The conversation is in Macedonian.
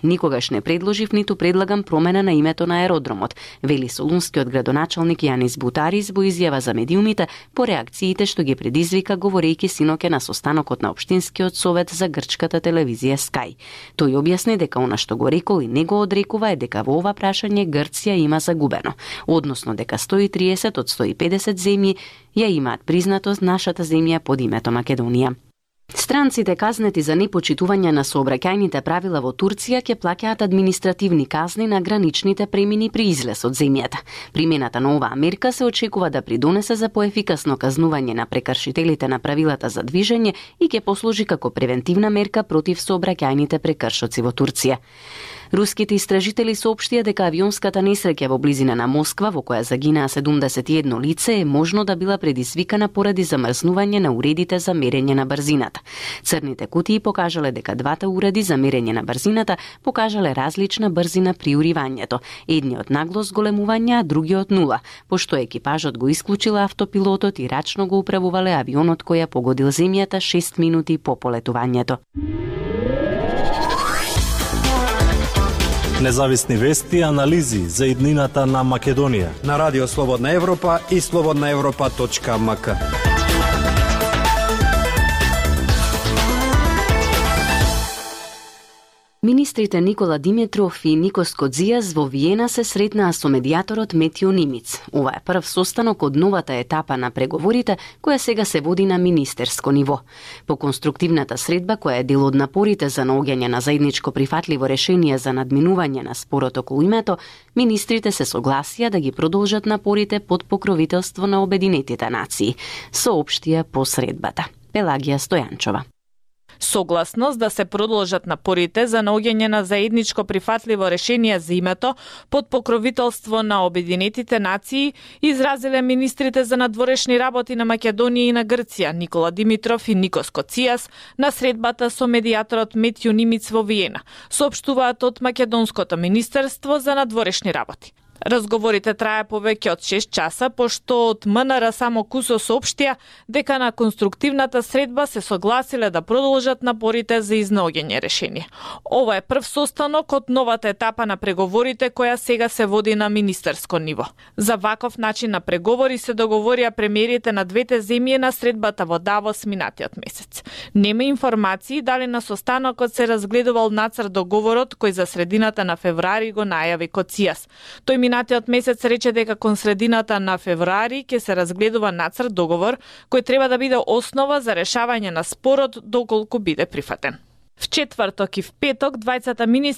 Никогаш не предложив ниту предлагам промена на името на аеродромот, вели солунскиот градоначалник Јанис Бутарис во изјава за медиумите по реакциите што ги предизвика говорејќи синоќа на состанокот на Општинскиот совет за грчката телевизија Sky. Тој објасни дека она што го рекол и не го одрекува е дека во ова прашање Грција има загубено, односно дека 130 од 150 земји ја имаат признатост нашата земја под името Македонија. Странците казнети за непочитување на сообраќајните правила во Турција ќе плаќаат административни казни на граничните премини при излез од земјата. Примената на оваа мерка се очекува да придонесе за поефикасно казнување на прекршителите на правилата за движење и ќе послужи како превентивна мерка против сообраќајните прекршоци во Турција. Руските истражители соопштија дека авионската несреќа во близина на Москва, во која загинаа 71 лице, е можно да била предизвикана поради замрзнување на уредите за мерење на брзината. Црните кутии покажале дека двата уреди за мерење на брзината покажале различна брзина при уривањето, едниот нагло зголемување, а другиот нула, пошто екипажот го исклучила автопилотот и рачно го управувале авионот кој ја погодил земјата 6 минути по полетувањето. Независни вести и анализи за иднината на Македонија на Радио Слободна Европа и slobodnaevropa.mk. Министрите Никола Димитров и Никос Кодзијас во Виена се сретнаа со медијаторот Метјо Нимиц. Ова е прв состанок од новата етапа на преговорите, која сега се води на министерско ниво. По конструктивната средба, која е дел од напорите за наоѓање на заедничко прифатливо решение за надминување на спорот околу името, министрите се согласија да ги продолжат напорите под покровителство на Обединетите нации, соопштија по средбата. Пелагија Стојанчова. Согласност да се продолжат напорите за наоѓање на заедничко прифатливо решение за името под покровителство на Обединетите нации изразиле министрите за надворешни работи на Македонија и на Грција Никола Димитров и Никос Кодзијас на средбата со медијаторот Метјо Нимиц во Виена, соопштуваат од Македонското министерство за надворешни работи. Разговорите трае повеќе од 6 часа, пошто од МНР само кусо соопштија дека на конструктивната средба се согласиле да продолжат напорите за изнаоѓање решение. Ова е прв состанок од новата етапа на преговорите која сега се води на министерско ниво. За ваков начин на преговори се договорија премиерите на двете земји на средбата во Давос минатиот месец. Нема информации дали на состанокот се разгледувал нацрт договорот кој за средината на февруари го најави Кодзијас. Тој минатиот месец рече дека кон средината на февруари ќе се разгледува нацрт договор кој треба да биде основа за решавање на спорот доколку биде прифатен. В четврток и в петок двајцата министри